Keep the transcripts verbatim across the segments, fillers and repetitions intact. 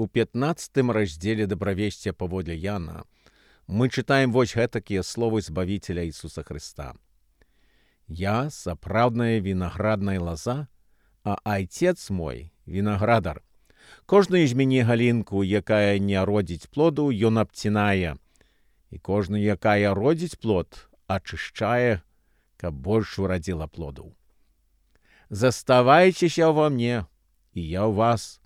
У пятнадцатым раздзеле дабравесця паводле Яна мы чытаем вось гэтакія словы Збавіцеля Ісуса Хрыста. «Я — сапраўдная вінаградная лаза, а Айцец мой — вінаградар. Кожную з мяне галінку, якая не родзіць плоду, ён абцінае, і кожную, якая родзіць плод, ачышчае, каб больш урадзіла плоду. Заставайцеся ва мне, і я ў вас.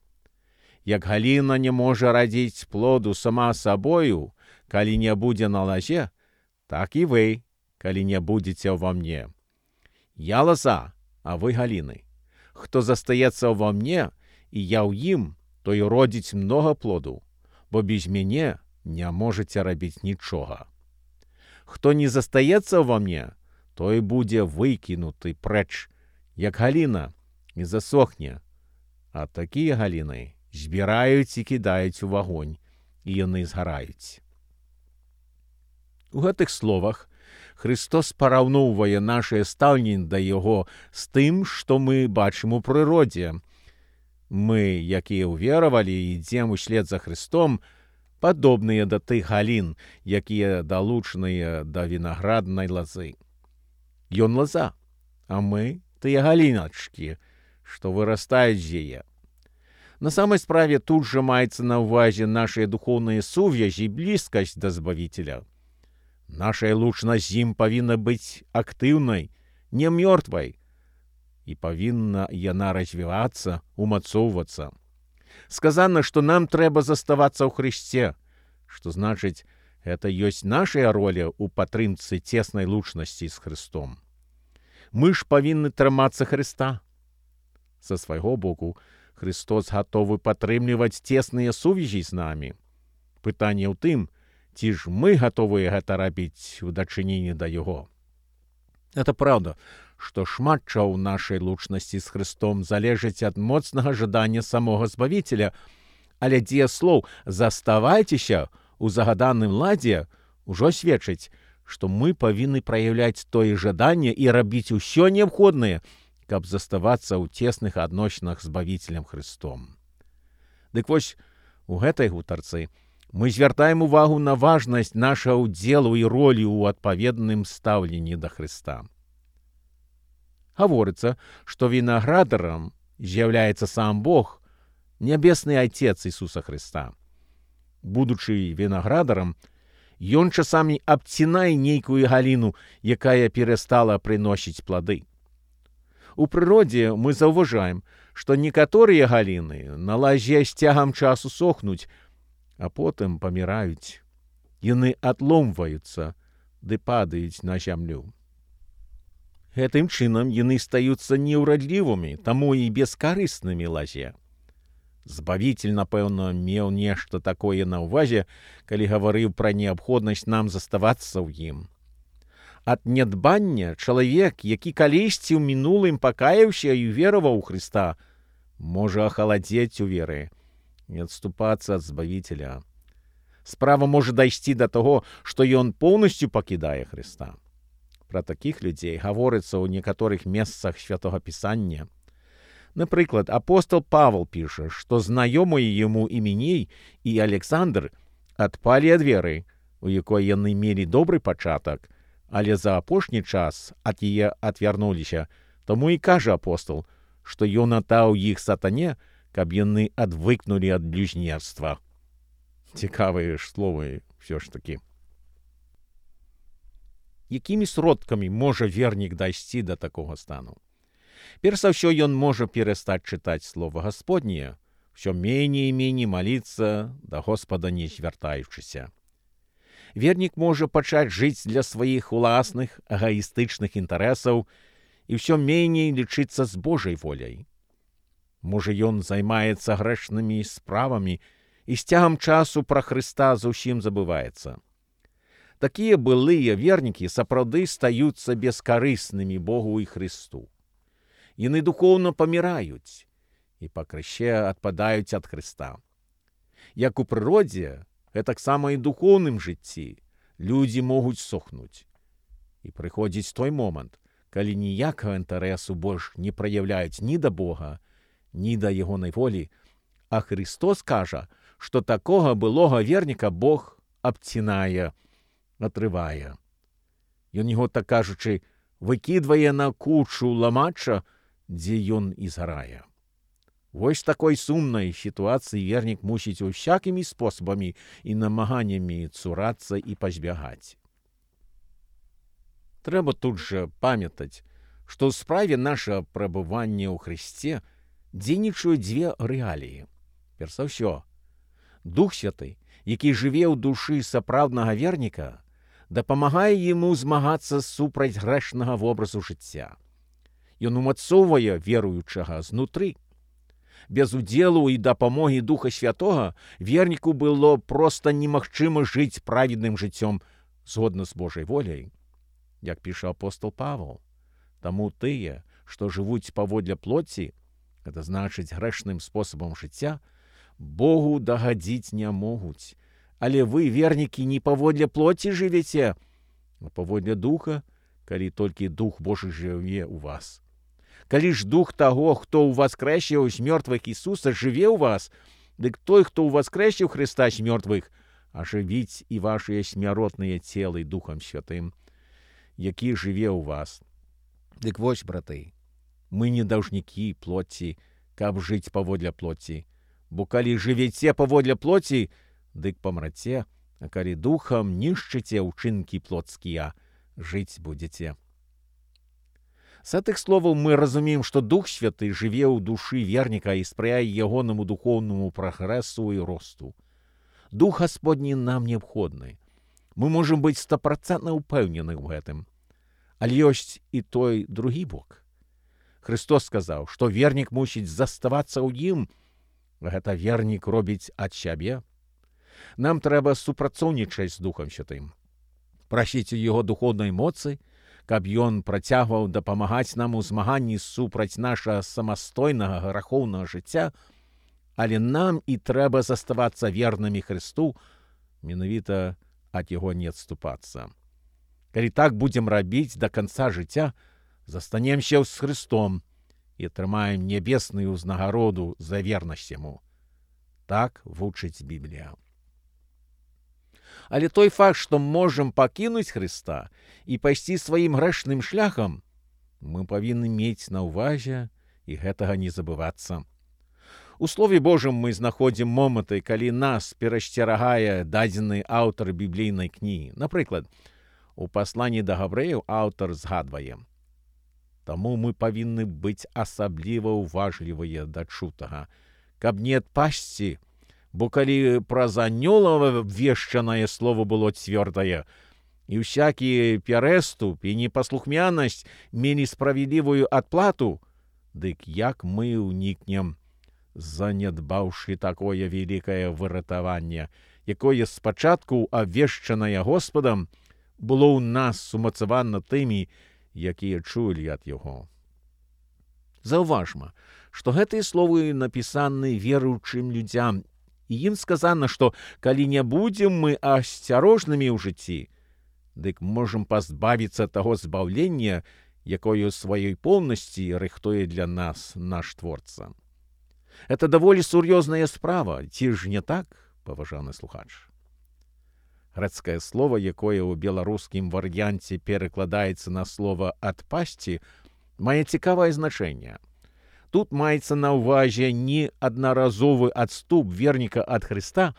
Як галіна не можа радзіць плоду сама сабою, калі не будзе на лазе, так і вы, калі не будзеце ва мне. Я лоза, а вы галіны. Хто застаецца ва мне, і я ў ім, той родзіць многа плоду, бо без мяне не можаце рабіць нічога. Хто не застаецца ва мне, той будзе выкінуты прэч, як галіна, і засохне. А такія галіны збіраюць і кідаюць у вагонь, і яны згараюць». У гэтых словах Христос параўноўвае нашае стаўленне да Яго з тым, што мы бачым у прыродзе. Мы, якія ўверавалі і ідзем услед за Христом, падобныя да тых галін, якія далучаныя да вінаграднай лазы. Ён лаза, а мы — тыя галіначкі, што вырастаюць з яе. На самай справе тут жа маецца на ўвазе нашыя духоўныя сувязі і блізкасць да Збавіцеля. Нашая лучнасць з ім павінна быць актыўнай, не мёртвай, і павінна яна развівацца, умацоўвацца. Сказана, што нам трэба заставацца ў Хрысце, што значыць, гэта ёсць нашая роля ў падтрымцы цеснай лучнасці з Хрыстом. Мы ж павінны трымацца Хрыста. Са свайго боку, Христос гатовы падтрымліваць цесныя сувязі з намі. Пытанне ў тым, ці ж мы гатовыя гэта рабіць у дачыненні да Яго. Это праўда, што шмат чаго ў нашай лучнасці з Христом залежыць ад моцнага жадання самога Збавіцеля, але дзеяслоў «заставайцеся» у загаданым ладзе ўжо сведчыць, што мы павінны праяўляць тое жаданне і рабіць усё неабходнае, каб заставацца ў цесных адносінах з Збавіцелем Христом. Дык вось, у гэтай гутарцы мы звяртаем увагу на важнасць нашага ўдзелу і ролі ў адпаведным стаўленні да Хрыста. Гаворыцца, што вінаградарам з'яўляецца сам Бог, нябесны Айцец Ісуса Хрыста. Будучы вінаградарам, ён часамі абцінае нейкую галіну, якая перастала прыносіць плады. У прыродзе мы заўважаем, што некаторыя галіны на лазе з цягам часу сохнуць, а потым паміраюць. Яны адломваюцца ды падаюць на зямлю. Гэтым чынам яны стаюцца неўрадлівымі, таму і бескарыснымі лазе. Збавіцель, напэўна, меў нешта такое на ўвазе, калі гаварыў пра неабходнасць нам заставацца ў ім. Ад нядбання чалавек, які калісьці ў мінулым пакаяўся і вераваў у Хрыста, можа ахаладзець у веры і адступацца ад Збавіцеля. Справа можа дайсці да таго, што ён поўнасцю пакідае Хрыста. Пра такіх людзей гаворыцца ў некаторых месцах Святога Пісання. Напрыклад, апостол Павел піша, што знаёмыя яму Іменей і Александр адпалі ад веры, у якой яны мелі добры пачатак, але за апошні час ад яе адвярнуліся, таму і кажа апостол, што ён аддаў іх сатане, каб яны адвыкнулі ад блюзнерства. Цікавыя ж словы ўсё ж такі. Якімі сродкамі можа вернік дайсці да такога стану? Перш за ўсё, ён можа перастаць чытаць слова Гасподняе, ўсё меней і меней маліцца да Господа не звяртаючыся. Вернік можа пачаць жыць для сваіх уласных эгаістычных інтарэсаў і ўсё меней лічыцца з Божай воляй. Можа, ён займаецца грэшнымі справамі і з цягам часу пра Хрыста зусім забываецца. Такія былыя вернікі сапраўды стаюцца бескарыснымі Богу і Хрысту. Яны духоўна паміраюць і па крыще адпадаюць ад Хрыста. Як у прыродзе, гэтаксама і духоўным жыцці людзі могуць сохнуць. І прыходзіць той момант, калі ніякага інтарэсу больш не праяўляюць ні да Бога, ні да ягонай волі, а Христос кажа, што такога былога верніка Бог абцінае, атрывае. Ён яго, так кажучы, выкідвае на кучу ламача, дзе ён і згарае. Вось такой сумнай сітуацыі вернік мусіць усякімі спосабамі і намаганнямі цурацца і пазбягаць. Трэба тут жа памятаць, што ў справе нашага прабывання ў Хрысце дзейнічаюць дзве рэаліі. Перш за ўсё, Дух Святы, які жыве ў душы сапраўднага верніка, дапамагае яму змагацца супраць грэшнага вобразу жыцця. Ён умацоўвае веруючага знутры. Без удзелу і дапамогі Духа Святога верніку было проста немагчыма жыць праведным жыццём згодна з Божай воляй. Як піша апостол Павел, таму тыя, што жывуць паводле плоці, гэта значыць грэшным спосабам жыцця, Богу дагадзіць не могуць. Але вы, вернікі, не паводле плоці жывеце, а паводле духа, калі толькі Дух Божы жыве ў вас. Калі ж дух таго, хто ўваскрэсіў з мёртвых Ісуса, жыве ў вас, дык той, хто ўваскрэсіў Хрыста з мёртвых, ажывіць і вашыя смяротныя целы Духам Святым, які жыве ў вас. Дык вось, браты, мы не даўжнікі плоці, каб жыць паводле плоці, бо калі жывеце паводле плоці, дык памраце, а калі духам нішчыце ўчынкі плотскія, жыць будзеце. З гэтых словаў мы разумеем, што Дух Святы жыве ў душы верніка і спрыяе ягонаму духоўнаму прагрэсу і росту. Дух Гасподні нам неабходны. Мы можам быць стапрацэнтна ўпэўнены ў гэтым. Але ёсць і той другі бок. Христос сказаў, што вернік мусіць заставацца ў ім. Гэта вернік робіць ад сябе. Нам трэба супрацоўнічаць з Духам Святым. Прасіць у яго духоўнай моцы, каб ён працягваў дапамагаць нам у змаганні супраць нашага самастойнага грахоўнага жыцця, але нам і трэба заставацца вернымі Христу, менавіта ад яго не адступацца. Калі так будзем рабіць да канца жыцця, застанемся з Христом і атрымаем нябесную ўзнагароду за вернасць яму. Так вучыць Біблія. Але той факт, што можам пакінуць Хрыста і пайсці сваім грэшным шляхам, мы павінны мець на ўвазе і гэтага не забывацца. У Слове Божым мы знаходзім моманты, калі нас перасцерагае дадзены аўтар біблійнай кнігі. Напрыклад, у пасланні да габрэяў аўтар згадвае: «Таму мы павінны быць асабліва ўважлівыя да чутага, каб не адпасці, бо калі праз анёлава вешчанае слово было цвёрдае, і ўсякі перэступ і непаслухмянасць мелі справядлівую адплату, дык як мы ўнікнем, занядбаўшы такое вялікае выратаванне, якое спачатку абвешчанае Господам, было ў нас сумацавана тымі, якія чулі ад яго». Заўважма, што гэтыя словы напісаны веруючым людзям, і ім сказана, што калі не будзем мы асцярожнымі ў жыцці, дык можам пазбавіцца таго збаўлення, якое ў сваёй поўнасці рыхтуе для нас наш Творца. Это даволі сур'ёзная справа, ці ж не так, паважаны слухач? Грэцкае слова, якое ў беларускім варыянце перакладаецца на слова «адпасці», мае цікавае значэнне. Тут маецца на ўвазе не аднаразовы адступ верніка ад Хрыста,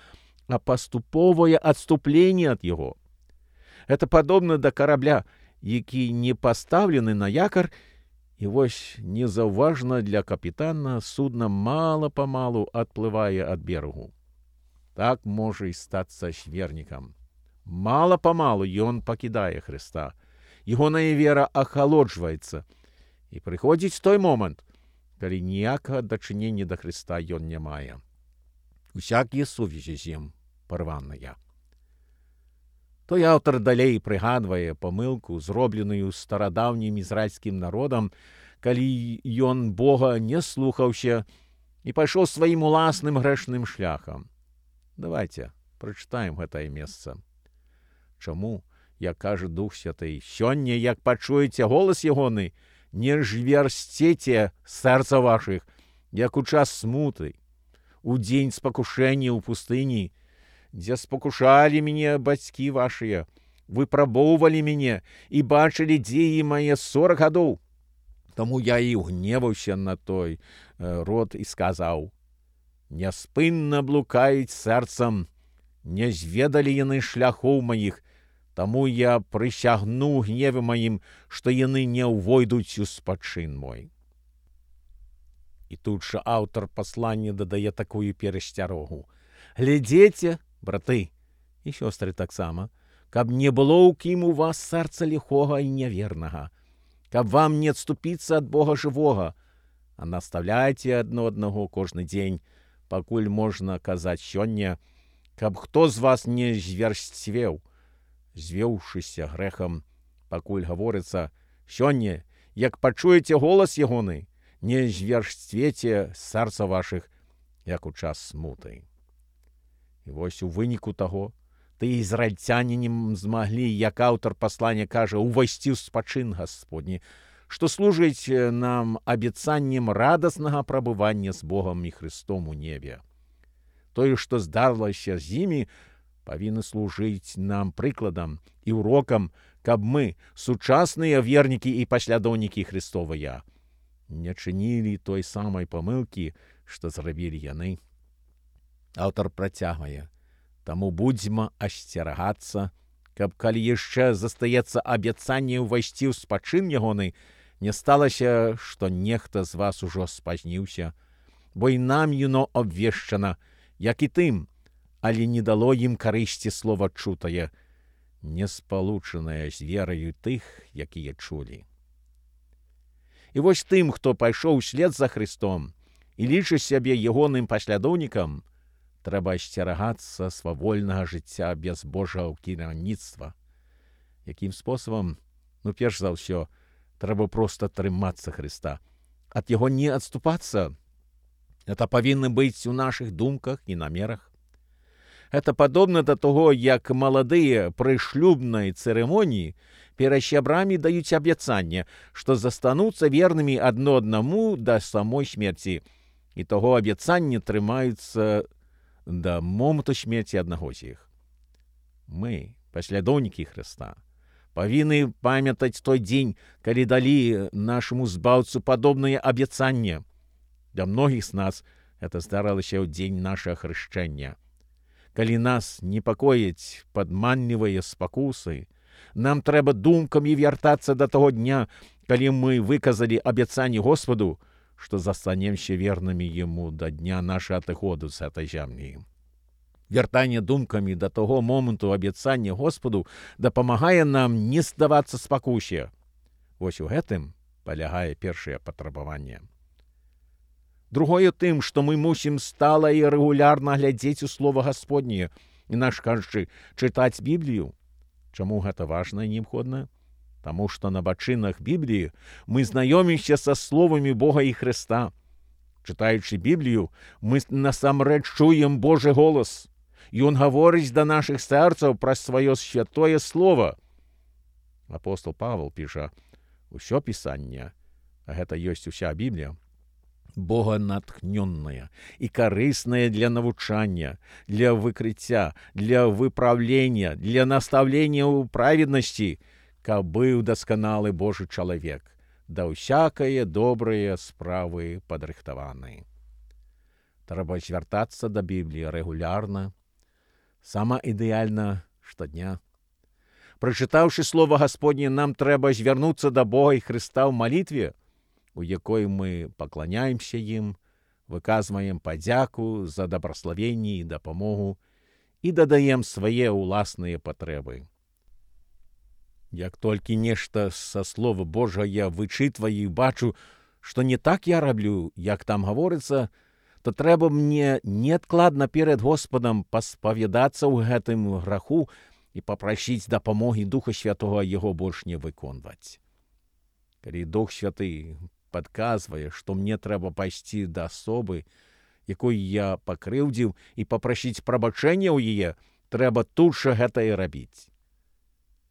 а паступовае адступленне ад яго. Гэта падобна да карабля, які не пастаўлены на якар, і вось незаўважна для капітана судна мала-памалу адплывае ад берагу. Так можа і стацца з вернікам. Мала-памалу ён пакідае Хрыста. Ягоная вера ахалоджваецца. І прыходзіць той момант, калі ніякага дачынення да Хрыста ён не мае. Усякія сувязі з ім парваныя. Той аўтар далей прыгадвае памылку, зробленую старадаўнім ізраільскім народам, калі ён Бога не слухаўся і пайшоў сваім уласным грэшным шляхам. Давайце прачытаем гэтае месца. Чаму, як кажа Дух Святы, сёння, як пачуеце голас ягоны, не жвярсцеце сэрца вашых, як у час смуты. у дзень спакушэння ў пустыні, дзе спакушалі мяне бацькі вашыя, выпрабоўвалі мяне і бачылі дзеі мае сорак гадоў. Таму я і гневаўся на той род і сказаў: няспынна блукаюць сэрцам, не зведалі яны шляхоў маіх, таму я прысягну гневе маім, што яны не ўвойдуць у спачын мой. І тут жа аўтар паслання дадае такую перасцярогу: глядзеце, браты і сёстры таксама, каб не было ў кім у вас сэрца ліхога і нявернага, каб вам не адступіцца ад Бога жывога, а наставляйце адно аднаго кожны дзень, пакуль можна казаць сёння, каб хто з вас не зверсцвеў, звеўшыся грэхам, пакуль гаворыцца: сёння, як пачуеце голас ягоны, не зверсцвеце сэрца вашых, як у час смуты. І вось у выніку таго, ты ізраільцяне не змаглі, як аўтар паслання кажа, увайсці ў спачын Гасподні, што служыць нам абяцаннем радаснага прабывання з Богам і Христом у небе. Тое, што здарылася з імі, павінны служыць нам прыкладам і урокам, каб мы, сучасныя вернікі і паслядоўнікі Христовыя, не чынілі той самай памылкі, што зрабілі яны. Аўтар працягвае: таму будзьма асцерагацца, каб калі яшчэ застаецца абяцанне ўвайсці ў спачын ягоны, не сталася, што нехта з вас ужо спазніўся, бо і нам юно абвешчана, як і тым, але не дало ім карысці слова чутае, не спалучанае з вераю тых, якія чулі. І вось тым, хто пайшоў услед за Христом і лічыць сябе ягоным паслядоўнікам, трэба асцерагацца свавольнага жыцця без Божага кіраўніцтва. Якім спосабам? Ну, перш за ўсё, трэба проста трымацца Христа, ад яго не адступацца. Это павінна быць у нашых думках і намерах. Это падобна да таго, як маладыя пры шлюбнай цырымоніі перад сябрамі даюць абяцанне, што застануцца вернымі адно аднаму да самой смерці, і таго абяцання трымаюцца да моманту смерці аднаго з іх. Мы, паслядоўнікі Хрыста, павінны памятаць той дзень, калі далі нашаму збаўцу падобнае абяцанне. Для многіх з нас это здарылася ў дзень нашага хрышчэння. Калі нас непакояць падманлівыя спакусы, нам трэба думкамі вяртацца да таго дня, калі мы выказалі абяцанне Господу, што застанемся вернымі Яму да дня нашага адыходу з гэтай зямлі. Вяртанне думкамі да таго моманту абяцання Господу дапамагае нам не здавацца спакусе. Вось у гэтым палягае першае патрабаванне. Другое тым, што мы мусім стала і рэгулярна глядзець у Слова Гасподняе, інакш кажучы, чытаць Біблію. Чаму гэта важна і неабходна? Таму што на бачынах Бібліі мы знаёмімся са словамі Бога і Хрыста. Чытаючы Біблію, мы насамрэч чуем Божы голас. Ён гаворыць да нашых сэрцаў праз сваё святое слово. Апостол Павел піша: усё пісанне, а гэта ёсць уся Біблія, Бога натхнённая і карысная для навучання, для выкрыцця, для выпраўлення, для настаўлення ў праведнасці, каб быў дасканалы Божы чалавек, да ўсякае добрыя справы падрыхтаваны. Трэба звяртацца да Бібліі рэгулярна, сама ідэальна штодня. Прачытаўшы Слова Гасподне, нам трэба звярнуцца да Бога і Хрыста ў малітве, у якой мы пакланяемся ім, выказваем падзяку за дабраславенне і дапамогу і дадаем свае ўласныя патрэбы. Як толькі нешта са Слова Божа я вычытваю і бачу, што не так я раблю, як там гаворыцца, то трэба мне неадкладна перад Господам паспавядацца ў гэтым граху і папрасіць дапамогі Духа Святога яго больш не выконваць. Калі Дух Святы падказвае, што мне трэба пайсці да асобы, якой я пакрыўдзіў, і папрасіць прабачэння ў яе, трэба тут жа гэта і рабіць.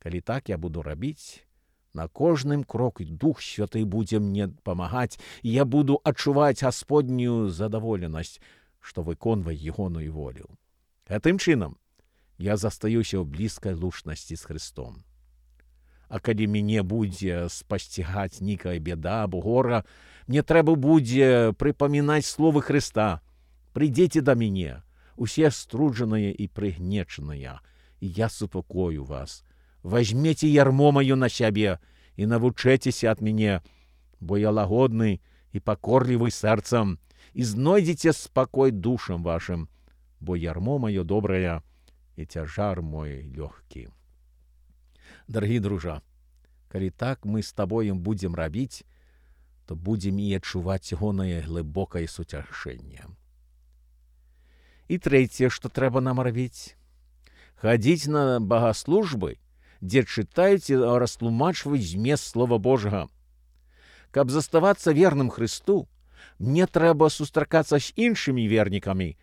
Калі так я буду рабіць, на кожным кроку Дух Святы будзе мне памагаць, і я буду адчуваць Гасподнюю задаволенасць, што выконвае ягоную волю. Гэтым чынам я застаюся ў блізкай лучнасці з Христом. А калі мяне будзе спасцігаць нейкая бяда або гора, мне трэба будзе прыпамінаць словы Хрыста: «Прыйдзіце да мяне, усе струджаныя і прыгнечаныя, і я супакою вас. Вазьмеце ярмо маё на сябе і навучэцеся ад мяне, бо я лагодны і пакорлівы сэрцам, і знойдзеце спакой душам вашым, бо ярмо маё добрае і цяжар мой лёгкі». Дарагі дружа, калі так мы з табою будзем рабіць, то будзем і адчуваць ягонае глыбокае суцяшэнне. І трэцяе, што трэба нам рабіць: хадзіць на богаслужбы, дзе чытаюць і растлумачваюць змест Слова Божага. Каб заставацца верным Христу, мне трэба сустракацца з іншымі вернікамі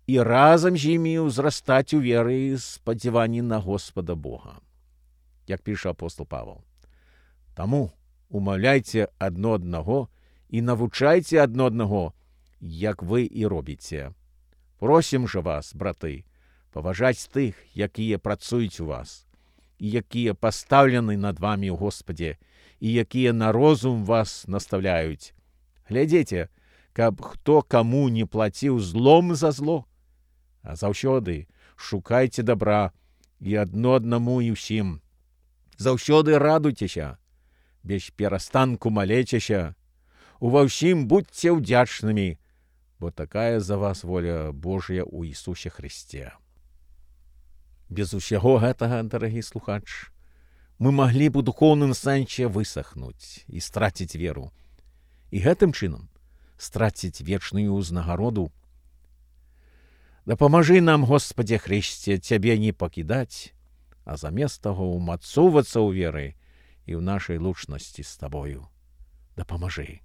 і разам з імі ўзрастаць у веры і спадзяванні на Господа Бога. Як піша апостол Павел: «Таму умаўляйце адно аднаго і навучайце адно аднаго, як вы і робіце. Просім жа вас, браты, паважаць тых, якія працуюць у вас, і якія пастаўлены над вамі ў Господе, і якія на розум вас наставляюць. Глядзіце, каб хто каму не плаціў злом за зло, а заўсёды шукайце дабра і адно аднаму і ўсім. Заўсёды радуйцеся, без перастанку малецеся, ува ўсім будьце ўдзячнымі, бо такая за вас воля Божая ў Ісусе Христе». Без усяго гэтага, дарагі слухач, мы маглі б у духоўным сэнсе высахнуць і страціць веру, і гэтым чынам страціць вечную ўзнагароду. Дапамажы нам, Господзе Хрысце, Цябе не пакідаць, а замест таго ўмацоўвацца ў веры і ў нашай лучнасці з Табою. Дапамажы.